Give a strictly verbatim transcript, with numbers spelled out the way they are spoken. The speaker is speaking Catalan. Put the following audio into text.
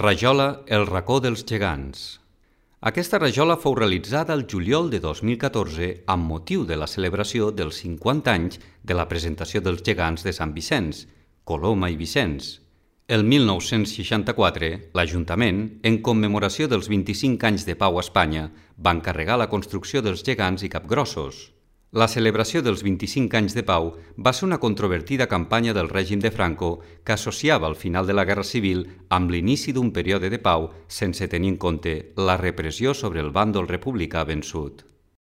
Rajola El racó dels gegants. Aquesta rajola fou realitzada el juliol de dos mil catorze amb motiu de la celebració dels cinquanta anys de la presentació dels gegants de Sant Vicenç, Coloma i Vicenç. El mil nou-cents seixanta-quatre, l'Ajuntament, en commemoració dels vint-i-cinc anys de pau a Espanya, va encarregar la construcció dels gegants i capgrossos. La celebració dels vint-i-cinc anys de pau va ser una controvertida campanya del règim de Franco que associava el final de la Guerra Civil amb l'inici d'un període de pau sense tenir en compte la repressió sobre el bàndol republicà vençut.